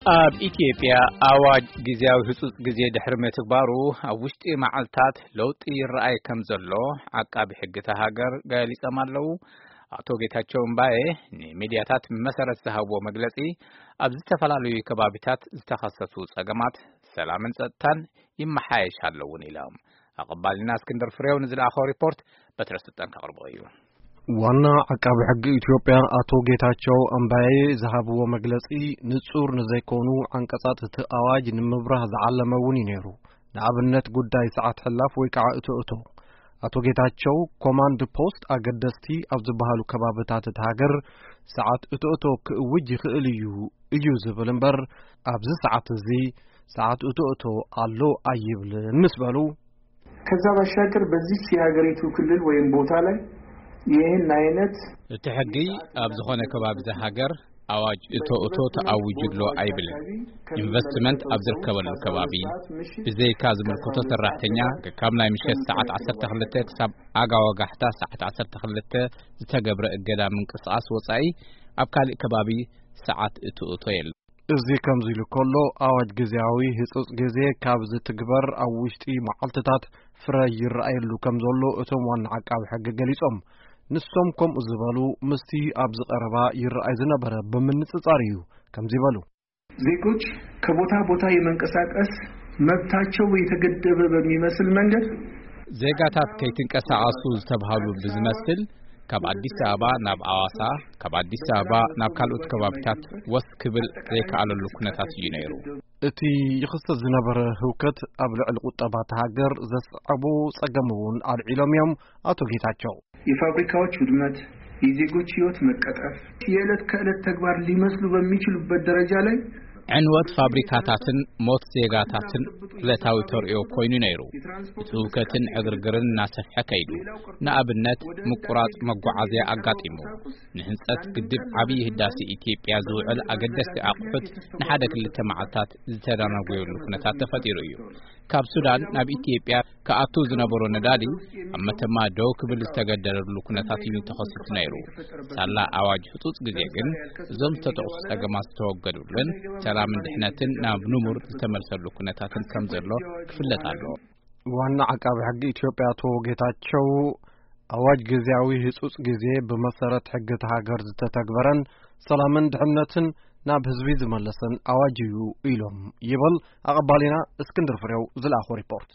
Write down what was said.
ኣብ ኢትዮጵያ ኣዋጅ ግዜያዊ ህጹጽ ግዜ ድሕሪ ምትግባሩ፣ ኣብ ውሽጢ መዓልታት ለውጢ ይረኣይ ከም ዘሎ ዓቃቢ ሕጊ እታ ሃገር ገሊጾም ኣለዉ። ኣቶ ጌታቸው እምባዬ ንሚድያታት መሰረት ዝሃብዎ መግለጺ፣ ኣብ ዝተፈላለዩ ከባቢታት ዝተኸሰቱ ጸገማት ሰላምን ጸጥታን ይመሓየሽ ኣለውን ኢሎም። ኣቐባልና እስክንድር ፍሬው ንዝለኣኸው ሪፖርት በትረ ስልጣን ከቕርቦ እዩ። ዋና ዓቃቢ ሕጊ ኢትዮጵያ ኣቶ ጌታቸው ኣምባዬ ዝሃብዎ መግለጺ፣ ንጹር ንዘይኮኑ ዓንቀጻት እቲ ኣዋጅ ንምብራህ ዝዓለመ እውን እዩ ነይሩ። ንኣብነት፣ ጉዳይ ሰዓት ሕላፍ ወይ ከዓ እቶ እቶ። ኣቶ ጌታቸው፣ ኮማንድ ፖስት ኣገደስቲ ኣብ ዝበሃሉ ከባብታት እቲ ሃገር ሰዓት እቶ እቶ ክእውጅ ይኽእል እዩ፣ እዩ ዝብል እምበር፣ ኣብዚ ሰዓት እዚ ሰዓት እቶ እቶ ኣሎ ኣይብልን ምስ በሉ፣ ከዛ ባሻገር በዚች የሀገሪቱ ክልል ወይም ቦታ ላይ ይህን አይነት እቲ ሕጊ ኣብ ዝኾነ ከባቢ እዛ ሃገር ኣዋጅ እቶ እቶ ተኣዊጁ ኣሎ ኣይብልን። ኢንቨስትመንት ኣብ ዝርከበሉ ከባቢ፣ ብዘይካ ዝምልከቶ ሰራሕተኛ፣ ካብ ናይ ምሸት ሰዓት ዓሰርተ ክልተ ክሳብ ኣጋ ወጋሕታ ሰዓት ዓሰርተ ክልተ ዝተገብረ እገዳ ምንቅስቓስ ወጻኢ፣ ኣብ ካልእ ከባቢ ሰዓት እቶ እቶ የለን። እዚ ከምዚ ኢሉ ከሎ፣ ኣዋጅ ግዜያዊ ህጹጽ ግዜ ካብ ዝትግበር ኣብ ውሽጢ መዓልትታት ፍረ ይረኣየሉ ከም ዘሎ እቶም ዋና ዓቃቢ ሕጊ ገሊጾም። ንሶም ከምኡ ዝበሉ፣ ምስቲ ኣብዚ ቀረባ ይረኣይ ዝነበረ ብምንጽጻር እዩ ከምዚ በሉ። ዜጎች ከቦታ ቦታ የመንቀሳቀስ መብታቸው የተገደበ በሚመስል መንገድ፣ ዜጋታት ከይትንቀሳቐሱ ዝተብሃሉ ብዝመስል፣ ካብ ኣዲስ ኣበባ ናብ ኣዋሳ፣ ካብ ኣዲስ ኣበባ ናብ ካልኦት ከባቢታት ወስ ክብል ዘይከኣለሉ ኩነታት እዩ ነይሩ። እቲ ይኽሰት ዝነበረ ህውከት ኣብ ልዕሊ ቁጠባ እታ ሃገር ዘስዓቦ ጸገም እውን ኣልዒሎም እዮም ኣቶ ጌታቸው። የፋብሪካዎች ውድመት፣ የዜጎች ህይወት መቀጠፍ፣ የዕለት ከዕለት ተግባር ሊመስሉ በሚችሉበት ደረጃ ላይ ዕንወት ፋብሪካታትን ሞት ዜጋታትን ዕለታዊ ተርእዮ ኮይኑ ነይሩ። እቲ ህውከትን ዕግርግርን እናሰፍሐ ከይዱ። ንኣብነት፣ ምቁራጽ መጓዓዝያ ኣጋጢሙ። ንህንጸት ግድብ ዓብዪ ህዳሴ ኢትዮጵያ ዝውዕል ኣገደስቲ ኣቑሑት ንሓደ ክልተ መዓልታት ዝተዳናጎየሉ ኩነታት ተፈጢሩ እዩ። ካብ ሱዳን ናብ ኢትዮጵያ ክኣቱ ዝነበሮ ነዳዲ ኣብ መተማ ደው ክብል ዝተገደደሉ ኩነታት እዩ ተኸሲቱ ነይሩ። ሳላ ኣዋጅ ህጹጽ ግዜ ግን፣ እዞም ዝተጠቕሱ ጸገማት ዝተወገዱሉን ሰላምን ድሕነትን ናብ ንቡር ዝተመልሰሉ ኩነታትን ከም ዘሎ ክፍለጥ ኣለዎ። ዋና ዓቃቢ ሕጊ ኢትዮጵያ ኣቶ ጌታቸው፣ ኣዋጅ ግዜያዊ ህጹጽ ግዜ ብመሰረት ሕጊ እታ ሃገር ዝተተግበረን ሰላምን ድሕነትን ናብ ህዝቢ ዝመለሰን ኣዋጅ እዩ ኢሎም ይብል ኣቐባሊና እስክንድር ፍሬው ዝለኣኾ ሪፖርት።